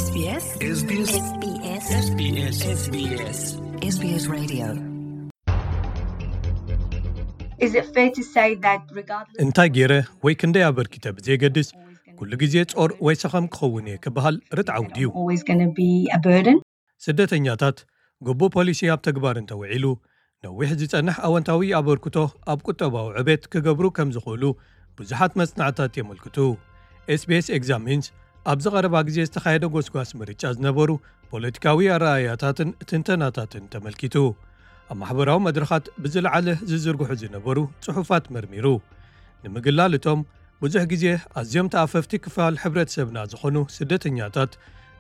SBS SBS SBS SBS SBS Radio. Is it fair to say that regardless እንታይ ገይረ ወይ ክንደይ ኣበርኪተ ብዘይገድስ፣ ኩሉ ግዜ ጾር ወይ ሰኸም ክኸውን እየ ክበሃል ርትዓዊ ድዩ? Always going to be a burden? ስደተኛታት ግቡእ ፖሊሲ ኣብ ተግባር እንተውዒሉ፣ ነዊሕ ዝጸንሕ ኣወንታዊ ኣበርክቶ ኣብ ቁጠባዊ ዕቤት ክገብሩ ከም ዝኽእሉ ብዙሓት መጽናዕታት የመልክቱ። SBS ኤግዛሚንስ ኣብዚ ቀረባ ግዜ ዝተኻየደ ጎስጓስ ምርጫ ዝነበሩ ፖለቲካዊ ኣረኣእያታትን ትንተናታትን ተመልኪቱ። ኣብ ማሕበራዊ መድረኻት ብዝለዓለ ዝዝርግሑ ዝነበሩ ጽሑፋት መርሚሩ። ንምግላል እቶም ብዙሕ ግዜ ኣዝዮም ተኣፈፍቲ ክፋል ሕብረተሰብና ዝኾኑ ስደተኛታት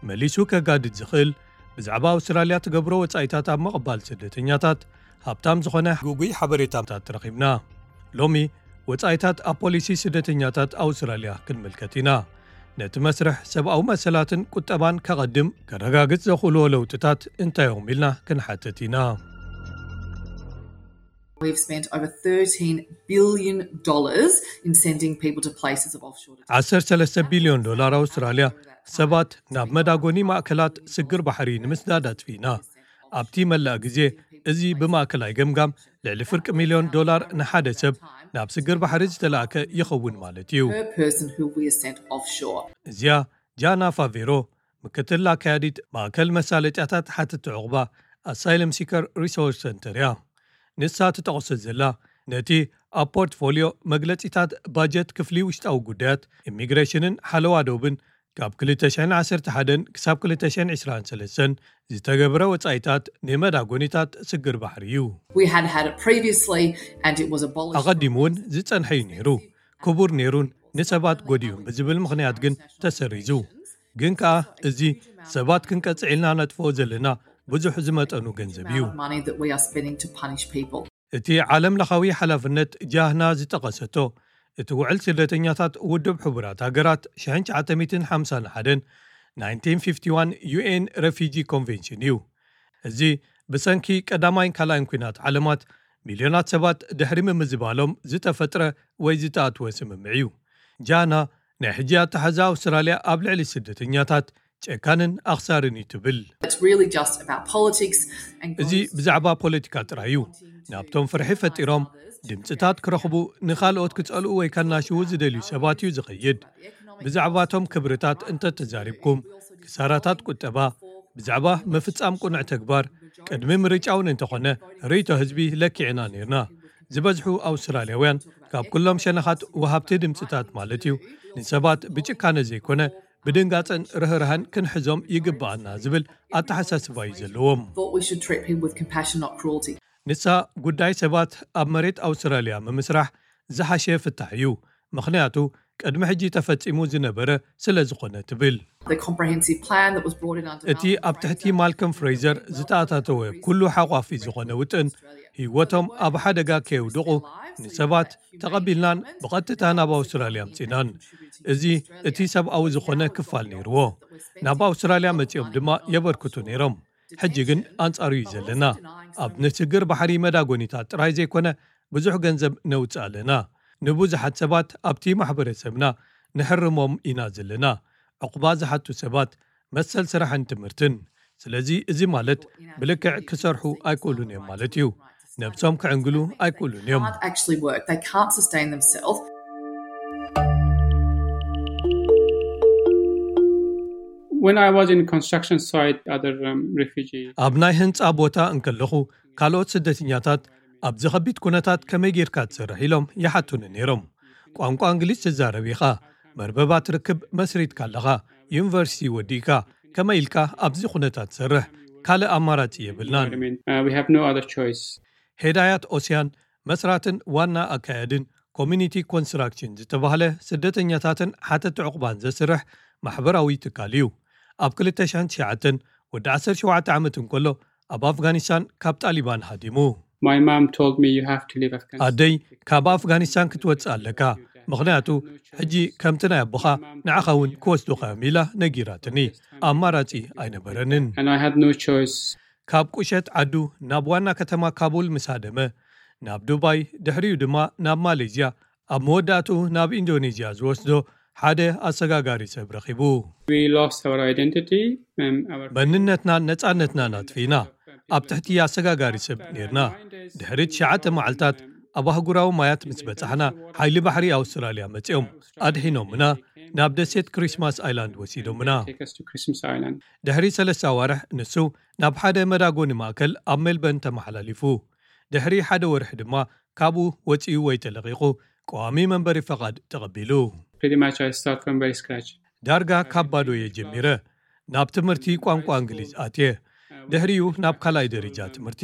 መሊሱ ከጋድድ ዝኽእል፣ ብዛዕባ ኣውስትራልያ ትገብሮ ወጻኢታት ኣብ ምቕባል ስደተኛታት ሃብታም ዝኾነ ግጉይ ሓበሬታታት ረኺብና። ሎሚ ወጻኢታት ኣብ ፖሊሲ ስደተኛታት ኣውስትራልያ ክንምልከት ኢና። ነቲ መስርሕ ሰብኣዊ መሰላትን ቁጠባን ከቐድም ከረጋግጽ ዘኽእልዎ ለውጥታት እንታይ እዮም ኢልና ክንሓትት ኢና። We've spent over thirteen billion dollars in sending people to places of offshore detention. ዓሰርተ ሰለስተ ቢልዮን ዶላር ኣውስትራልያ ሰባት ናብ መዳጎኒ ማእከላት ስግር ባሕሪ ንምስዳድ ኣጥፊእና። ኣብቲ መላእ ግዜ እዚ ብማእከላይ ገምጋም ልዕሊ ፍርቂ ሚልዮን ዶላር ንሓደ ሰብ ናብ ስግር ባሕሪ ዝተላእከ ይኸውን ማለት እዩ። Per person who we sent offshore. እዚኣ ጃና ፋቬሮ ምክትል ኣካያዲት ማእከል መሳለጥያታት ሓተቲ ዕቑባ ኣሳይለም ሲከር ሪሶርስ ሰንተር እያ። ንሳ ትጠቕሶ ዘላ ነቲ ኣብ ፖርትፎሊዮ መግለጺታት ባጀት ክፍሊ ውሽጣዊ ጉዳያት ኢሚግሬሽንን ሓለዋ ዶብን ካብ ክልተ ሽሕን ዓሰርተ ሓደን ክሳብ ክልተ ሽሕን ዕስራን ሰለስተን ዝተገብረ ወጻኢታት ንመዳጎኒታት ስግር ባሕሪ እዩ። We had had it previously and it was abolished. ኣቐዲሙ እውን ዝጸንሐ እዩ ነይሩ። ክቡር ነይሩን ንሰባት ጎዲኡን ብዝብል ምኽንያት ግን ተሰሪዙ። ግን ከኣ እዚ ሰባት ክንቀጽዕ ኢልና ነጥፍኦ ዘለና ብዙሕ ዝመጠኑ ገንዘብ እዩ። Amount of money that we are spending to punish people. እቲ ዓለም ለኻዊ ሓላፍነት ጃህና ዝጠቐሰቶ እቲ ውዕል ስደተኛታት ውድብ ሕቡራት ሃገራት ሽሕን ትሽዓተ ሚእትን ሓምሳን ሓደን ናይንቲን ፊፍቲ ዋን ዩ ኤን ረፊጂ ኮንቬንሽን እዩ። እዚ ብሰንኪ ቀዳማይን ካልኣይን ኲናት ዓለማት ሚልዮናት ሰባት ድሕሪ ምምዝባሎም ዝተፈጥረ ወይ ዝተኣትወ ስምምዕ እዩ። ጃና ናይ ሕጂ ኣተሓዛ ኣውስትራልያ ኣብ ልዕሊ ስደተኛታት ጨካንን ኣኽሳርን እዩ ትብል። It's really just about politics and እዚ ብዛዕባ ፖለቲካ ጥራይ እዩ። ናብቶም ፍርሒ ፈጢሮም ድምፅታት ክረኽቡ፣ ንኻልኦት ክጸልኡ ወይ ከናሽዉ ዝደልዩ ሰባት እዩ ዝኸይድ። ብዛዕባቶም ክብርታት እንተተዛሪብኩም፣ ክሳራታት ቁጠባ፣ ብዛዕባ ምፍጻም ቁኑዕ ተግባር፣ ቅድሚ ምርጫ እውን እንተኾነ ርእይቶ ህዝቢ ለኪዕና ነይርና። ዝበዝሑ ኣውስትራልያውያን ካብ ኩሎም ሸነኻት ወሃብቲ ድምፅታት ማለት እዩ ንሰባት ብጭካነ ዘይኮነ ብድንጋጸን ርህራህን ክንሕዞም ይግብኣና ዝብል ኣተሓሳስባ እዩ ዘለዎም። Thought we should treat people with compassion, not cruelty. ንሳ ጉዳይ ሰባት ኣብ መሬት ኣውስትራልያ ምምስራሕ ዝሓሸ ፍታሕ እዩ፣ ምኽንያቱ ቅድሚ ሕጂ ተፈጺሙ ዝነበረ ስለ ዝኾነ ትብል። The comprehensive plan that was brought in under እቲ ኣብ ትሕቲ ማልከም ፍሬዘር ዝተኣታተወ ኩሉ ሓቋፊ ዝኾነ ውጥን ህይወቶም ኣብ ሓደጋ ከየውድቑ ንሰባት ተቐቢልናን ብቐጥታ ናብ ኣውስትራልያ ኣምጺናን። እዚ እቲ ሰብኣዊ ዝኾነ ክፋል ነይርዎ። ናብ ኣውስትራልያ መጺኦም ድማ የበርክቱ ነይሮም። ሕጂ ግን ኣንጻሩ እዩ ዘለና። ኣብ ንስግር ባሕሪ መዳጎኒታት ጥራይ ዘይኮነ ብዙሕ ገንዘብ ነውጽእ ኣለና። ንብዙሓት ሰባት ኣብቲ ማሕበረሰብና ንሕርሞም ኢና ዘለና። ዕቑባ ዝሓቱ ሰባት መሰል ስራሕን ትምህርትን። ስለዚ እዚ ማለት ብልክዕ ክሰርሑ ኣይክእሉን እዮም ማለት እዩ። ነብሶም ክዕንግሉ ኣይክእሉን እዮም። Can't actually work. They can't sustain themselves. When I was in construction site, other um, refugees. ኣብ ናይ ህንጻ ቦታ እንከለኹ ካልኦት ስደተኛታት ኣብዚ ከቢድ ኩነታት ከመይ ጌርካ ትሰርሕ ኢሎም ይሓቱኒ ነይሮም። ቋንቋ እንግሊዝ ትዛረብ ኢኻ፣ መርበባት ርክብ መስሪትካ ኣለኻ፣ ዩኒቨርሲቲ ወዲእካ፣ ከመይ ኢልካ ኣብዚ ኩነታት ትሰርሕ? ካልእ ኣማራጺ የብልናን። I mean, uh, we have no other choice. ሄዳያት ኦስያን መስራትን ዋና ኣካያድን ኮሚኒቲ ኮንስትራክሽን ዝተባህለ ስደተኛታትን ሓተቲ ዕቑባን ዘስርሕ ማሕበራዊ ትካል እዩ። ኣብ ክልተ ሽሕን ትሽዓተን ወዲ ዓሰርተ ሸውዓተ ዓመት እንከሎ ኣብ ኣፍጋኒስታን ካብ ጣሊባን ሃዲሙ። My mom told me you have to leave Afghanistan. ኣደይ ካብ ኣፍጋኒስታን ክትወፅእ ኣለካ፣ ምኽንያቱ ሕጂ ከምቲ ናይ ኣቦኻ ንዓኻ እውን ክወስዱኻ እዮም ኢላ ነጊራትኒ። ኣማራፂ ኣይነበረንን። And I had no choice. ካብ ቁሸት ዓዱ ናብ ዋና ከተማ ካቡል ምስ ሃደመ ናብ ዱባይ፣ ድሕሪኡ ድማ ናብ ማሌዝያ፣ ኣብ መወዳእትኡ ናብ ኢንዶኔዝያ ዝወስዶ ሓደ ኣሰጋጋሪ ሰብ ረኺቡ። We lost our identity. Um, our መንነትናን ነጻነትናን ኣጥፊእና። ኣብ ትሕቲ ኣሰጋጋሪ ሰብ ነርና። ድሕሪ ትሽዓተ መዓልታት ኣብ ኣህጉራዊ ማያት ምስ በጻሕና፣ ሓይሊ ባሕሪ ኣውስትራልያ መጺኦም ኣድሒኖምና፣ ናብ ደሴት ክሪስማስ ኣይላንድ ወሲዶምና። Take us to Christmas Island. ድሕሪ ሰለስተ ኣዋርሕ ንሱ ናብ ሓደ መዳጎኒ ማእከል ኣብ ሜልበርን ተመሓላሊፉ። ድሕሪ ሓደ ወርሒ ድማ ካብኡ ወጺኡ ወይ ተለቒቑ ቀዋሚ መንበሪ ፈቓድ ተቐቢሉ። Pretty much, I start from very scratch. ዳርጋ ካብ ባዶ እየ ጀሚረ። ናብ ትምህርቲ ቋንቋ እንግሊዝ ኣትየ። ድሕሪኡ ናብ ካልኣይ ደረጃ ትምህርቲ።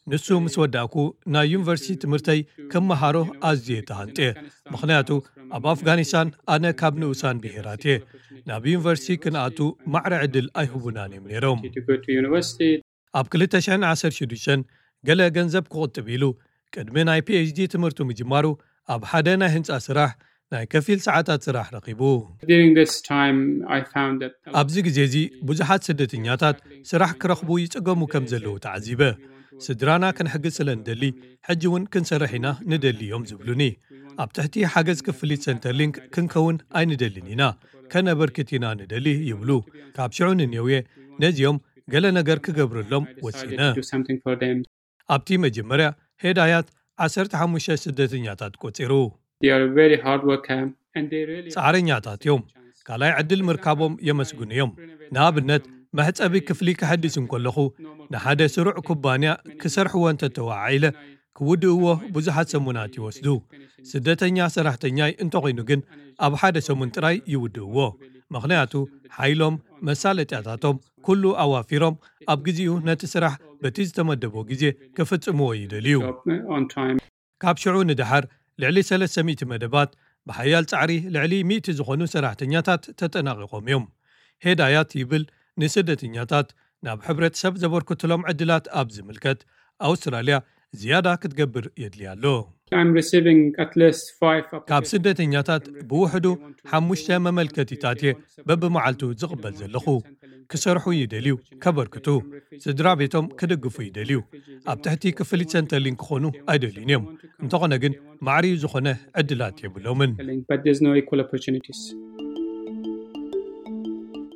ንሱ ምስ ወዳእኩ፣ ናይ ዩኒቨርሲቲ ትምህርተይ ክመሃሮ ኣዝየ ተሃንጥየ። ምኽንያቱ ኣብ ኣፍጋኒስታን ኣነ ካብ ንኡሳን ብሄራት እየ። ናብ ዩኒቨርሲቲ ክንኣቱ ማዕረ ዕድል ኣይህቡናን እዮም ነይሮም። To go to university. ኣብ ክልተ ሽሕን ዓሰርተ ሽዱሽተን ገለ ገንዘብ ክቑጥብ ኢሉ፣ ቅድሚ ናይ ፒኤችዲ ትምህርቱ ምጅማሩ፣ ኣብ ሓደ ናይ ህንጻ ስራሕ ናይ ከፊል ሰዓታት ስራሕ ረኺቡ። During this time, I found that ኣብዚ ግዜ እዚ ብዙሓት ስደተኛታት ስራሕ ክረኽቡ ይጽገሙ ከም ዘለዉ ተዓዚበ። ስድራና ክንሕግዝ ስለ እንደሊ፣ ሕጂ እውን ክንሰርሕ ኢና ንደሊ እዮም ዝብሉኒ። ኣብ ትሕቲ ሓገዝ ክፍሊት ሰንተርሊንክ ክንከውን ኣይንደልን ኢና፣ ከነበርክት ኢና ንደሊ ይብሉ። ካብ ሽዑ ንኔውየ ነዚኦም ገለ ነገር ክገብረሎም ወሲነ። Do something for them. ኣብቲ መጀመርያ ሄዳያት ዓሰርተ ሓሙሽተ ስደተኛታት ቆጺሩ። They are very hard worker and they really ጻዕረኛታት እዮም። ካልኣይ ዕድል ምርካቦም የመስግኑ እዮም። ንኣብነት፣ መሕጸቢ ክፍሊ ክሕድስ እንከለኹ፣ ንሓደ ስሩዕ ኩባንያ ክሰርሕዎ እንተተዋዓኢለ፣ ክውድእዎ ብዙሓት ሰሙናት ይወስዱ። ስደተኛ ሰራሕተኛይ እንተኾይኑ ግን፣ ኣብ ሓደ ሰሙን ጥራይ ይውድእዎ። ምኽንያቱ፣ ሓይሎም፣ መሳለጥያታቶም፣ ኩሉ ኣዋፊሮም፣ ኣብ ግዜኡ ነቲ ስራሕ በቲ ዝተመደቦ ግዜ ክፍጽምዎ ይደልዩ። On time. ካብ ሽዑ ንደሓር ልዕሊ ሰለስተ ሚእቲ መደባት፣ ብሓያል ጻዕሪ ልዕሊ ሚእቲ ዝኾኑ ሰራሕተኛታት ተጠናቒቖም እዮም። ሄዳያት ይብል፣ ንስደተኛታት ናብ ሕብረተሰብ ዘበርክትሎም ዕድላት ኣብ ዝምልከት፣ ኣውስትራልያ ዝያዳ ክትገብር የድልያ ኣሎ። I'm receiving at least five ካብ ስደተኛታት ብውሕዱ ሓሙሽተ መመልከቲታት እየ በብመዓልቱ ዝቕበል ዘለኹ። ክሰርሑ ይደልዩ፣ ከበርክቱ፣ ስድራ ቤቶም ክድግፉ ይደልዩ። ኣብ ትሕቲ ክፍሊት ሰንተርሊንክ ክኾኑ ኣይደልዩን እዮም። እንተኾነ ግን፣ ማዕርዩ ዝኾነ ዕድላት የብሎምን። But there's no equal opportunities.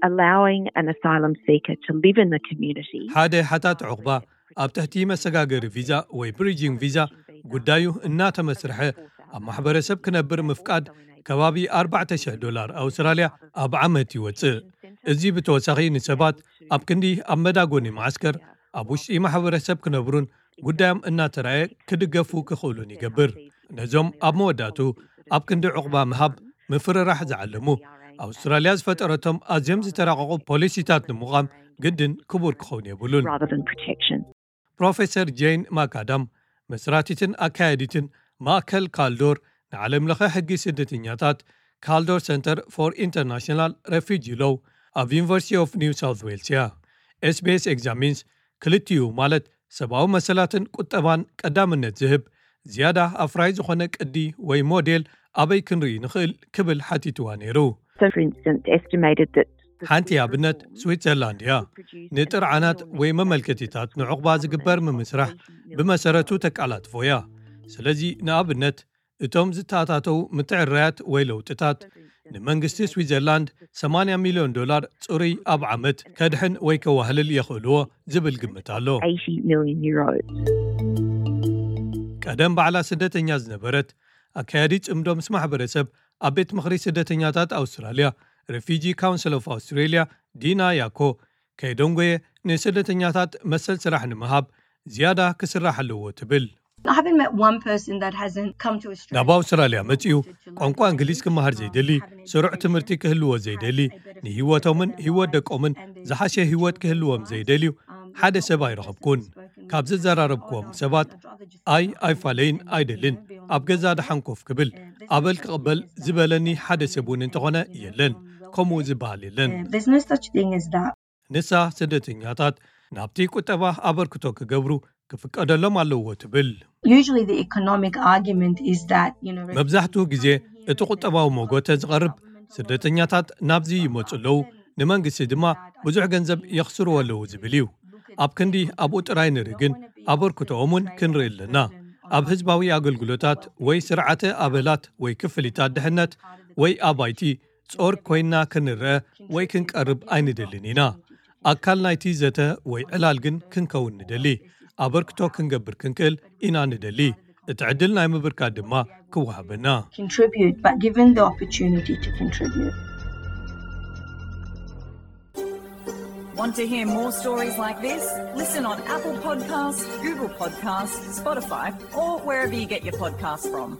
Allowing an asylum seeker to live in the community. ሓደ ሓታት ዕቑባ ኣብ ትሕቲ መሰጋገሪ ቪዛ ወይ ብሪጂንግ ቪዛ ጉዳዩ እናተመስርሐ፣ ኣብ ማሕበረሰብ ክነብር ምፍቃድ ከባቢ ኣርባዕተ ሽሕ ዶላር ኣውስትራልያ ኣብ ዓመት ይወጽእ። እዚ ብተወሳኺ ንሰባት ኣብ ክንዲ ኣብ መዳጎኒ መዓስከር ኣብ ውሽጢ ማሕበረሰብ ክነብሩን ጉዳዮም እናተራእየ ክድገፉ ክኽእሉን ይገብር። ነዞም ኣብ መወዳእቱ ኣብ ክንዲ ዕቑባ ምሃብ ምፍርራሕ ዝዓለሙ፣ ኣውስትራልያ ዝፈጠረቶም ኣዝዮም ዝተራቐቑ ፖሊሲታት ንምቋም ግድን ክቡር ክኸውን የብሉን። Rather than protection. ፕሮፌሰር ጄን ማካዳም፣ መስራቲትን ኣካያዲትን ማእከል ካልዶር ንዓለም ለኸ ሕጊ ስደተኛታት፣ ካልዶር ሰንተር ፎር ኢንተርናሽናል ሬፊጂ ሎው፣ ኣብ ዩኒቨርሲቲ ኦፍ ኒው ሳውት ዌልስ እያ። ኤስቢኤስ ኤግዛሚንስ ክልቲኡ፣ ማለት ሰብኣዊ መሰላትን ቁጠባን ቀዳምነት ዝህብ ዝያዳ ኣፍራይ ዝኾነ ቅዲ ወይ ሞዴል ኣበይ ክንርኢ ንኽእል ክብል ሓቲትዋ ነይሩ። So, for instance, estimated that ሓንቲ ኣብነት ስዊትዘርላንድ እያ። ንጥርዓናት ወይ መመልከቲታት ንዕቑባ ዝግበር ምምስራሕ ብመሰረቱ ተቃላጥፎ እያ። ስለዚ ንኣብነት እቶም ዝተኣታተው ምትዕርራያት ወይ ለውጥታት ንመንግስቲ ስዊትዘርላንድ ሰማንያ ሚልዮን ዶላር ጽሩይ ኣብ ዓመት ከድሕን ወይ ከዋህልል የኽእልዎ ዝብል ግምት ኣሎ። eighty million euros. ቀደም ባዕላ ስደተኛ ዝነበረት ኣካያዲ ጽምዶ ምስ ማሕበረሰብ ኣብ ቤት ምኽሪ ስደተኛታት ኣውስትራልያ፣ ሬፊጂ ካውንስል ኦፍ ኣውስትሬልያ፣ ዲና ያኮ፣ ከይደንጎየ ንስደተኛታት መሰል ስራሕ ንምሃብ ዝያዳ ክስራሕ ኣለዎ ትብል። I haven't met one person that hasn't come to Australia. ናብ ኣውስትራልያ መጺኡ ቋንቋ እንግሊዝ ክመሃር ዘይደሊ፣ ስሩዕ ትምህርቲ ክህልዎ ዘይደሊ፣ ንህይወቶምን ህይወት ደቆምን ዝሓሸ ህይወት ክህልዎም ዘይደልዩ ሓደ ሰብ ኣይረኸብኩን። ካብ ዘዘራረብክዎም ሰባት ኣይ ኣይፋለይን ኣይደልን፣ ኣብ ገዛ ደሓን ኮፍ ክብል ኣበል ክቕበል ዝበለኒ ሓደ ሰብ እውን እንተኾነ የለን። ከምኡ ዝበሃል የለን። There's no such thing as that. ንሳ ስደተኛታት ናብቲ ቁጠባ ኣበርክቶ ክገብሩ ክፍቀደሎም ኣለዎ ትብል። Usually the economic argument is that, you know, መብዛሕትኡ ግዜ እቲ ቁጠባዊ መጎተ ዝቐርብ ስደተኛታት ናብዚ ይመጹ ኣለዉ፣ ንመንግስቲ ድማ ብዙሕ ገንዘብ የኽስርዎ ኣለዉ ዝብል እዩ። ኣብ ክንዲ ኣብኡ ጥራይ ንርኢ ግን ኣበርክቶኦም እውን ክንርኢ ኣለና። ኣብ ህዝባዊ ኣገልግሎታት ወይ ስርዓተ ኣበላት ወይ ክፍሊታት ድሕነት ወይ ኣብ ኣይቲ ጾር ኮይና ክንረአ ወይ ክንቀርብ ኣይንደልን ኢና። ኣካል ናይቲ ዘተ ወይ ዕላል ግን ክንከውን ንደሊ። ኣበርክቶ ክንገብር ክንክእል ኢና ንደሊ። እቲ ዕድል ናይ ምብርካት ድማ ክወሃበና። Contribute, but given the opportunity to contribute. Want to hear more stories like this? Listen on Apple Podcasts, Google Podcasts, Spotify, or wherever you get your podcasts from.